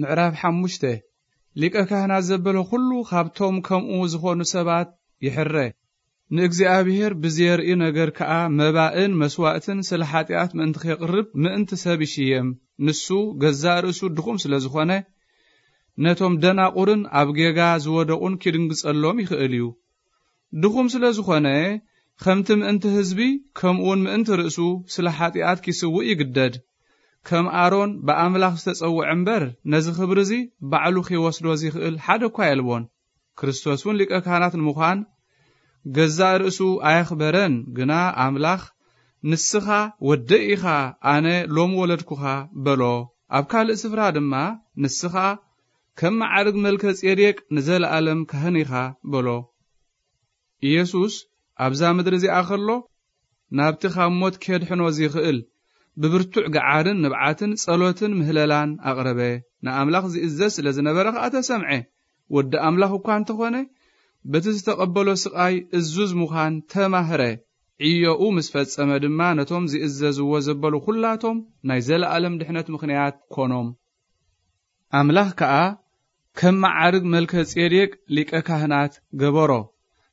ምዕራፍ ሓሙሽተ። ሊቀ ካህናት ዘበለ ኩሉ ካብቶም ከምኡ ዝኾኑ ሰባት ይሕረ። ንእግዚኣብሔር ብዜርኢ ነገር ከኣ መባእን መስዋእትን ስለ ሓጢኣት ምእንቲ ኬቕርብ ምእንቲ ሰብ ይሽየም። ንሱ ገዛእ ርእሱ ድኹም ስለ ዝኾነ፣ ነቶም ደናቑርን ኣብ ጌጋ ዝወደቑን ኪድንግጸሎም ይኽእል እዩ። ድኹም ስለ ዝኾነ፣ ከምቲ ምእንቲ ህዝቢ፣ ከምኡውን ምእንቲ ርእሱ ስለ ሓጢኣት ኪስውእ ይግደድ። ከም ኣሮን ብኣምላኽ ዝተጸውዐ እምበር፣ ነዚ ክብሪ እዚ ባዕሉ ኺወስዶ ዚኽእል ሓደ እኳ የልቦን። ክርስቶስ እውን ሊቀ ካህናት ንምዃን ገዛእ ርእሱ ኣየኽበረን፣ ግና ኣምላኽ፣ "ንስኻ ወደይ ኢኻ፣ ኣነ ሎሚ ወለድኩኻ" በሎ። ኣብ ካልእ ስፍራ ድማ፣ "ንስኻ ከም መዓርግ መልከ ጼዴቅ ንዘለኣለም ካህን ኢኻ" በሎ። ኢየሱስ ኣብዛ ምድሪ እዚኣ ኸሎ፣ ናብቲ ካብ ሞት ኬድሕኖ ዚኽእል፣ ብብርቱዕ ገዓርን ንብዓትን ጸሎትን ምህለላን ኣቕረበ። ንኣምላኽ ዚእዘዝ ስለ ዝነበረ ኸኣ ተሰምዐ። ወዲ ኣምላኽ እኳ እንተኾነ፣ በቲ ዝተቐበሎ ስቓይ እዙዝ ምዃን ተማህረ። ዕዮኡ ምስ ፈጸመ ድማ፣ ነቶም ዚእዘዝዎ ዘበሉ ኹላቶም ናይ ዘለኣለም ድሕነት ምኽንያት ኮኖም። ኣምላኽ ከኣ ከም መዓርግ መልከ ጼዴቅ ሊቀ ካህናት ገበሮ።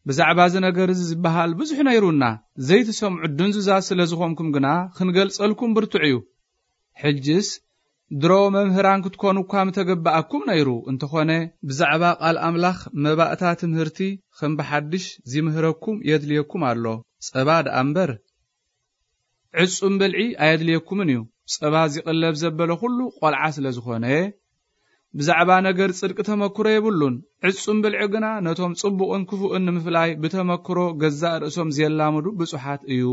ብዛዕባ እዚ ነገር እዚ ዝበሃል ብዙሕ ነይሩና፣ ዘይትሰምዑ ድንዙዛት ስለ ዝኾንኩም ግና፣ ክንገልጸልኩም ብርቱዕ እዩ። ሕጅስ፣ ድሮ መምህራን ክትኮኑ እኳ ምተገበኣኩም ነይሩ፣ እንተኾነ፣ ብዛዕባ ቃል ኣምላኽ መባእታ ትምህርቲ ከም ብሓድሽ ዚምህረኩም የድልየኩም ኣሎ፣ ጸባ ደኣ እምበር። ዕጹም ብልዒ ኣየድልየኩምን እዩ። ጸባ ዚቕለብ ዘበለ ኹሉ ቖልዓ ስለ ዝኾነ፣ ብዛዕባ ነገር ጽድቂ ተመክሮ የብሉን። ዕጹም ብልዒ ግና ነቶም ጽቡቕን ክፉእን ንምፍላይ ብተመክሮ ገዛእ ርእሶም ዜላምዱ ብጹሓት እዩ።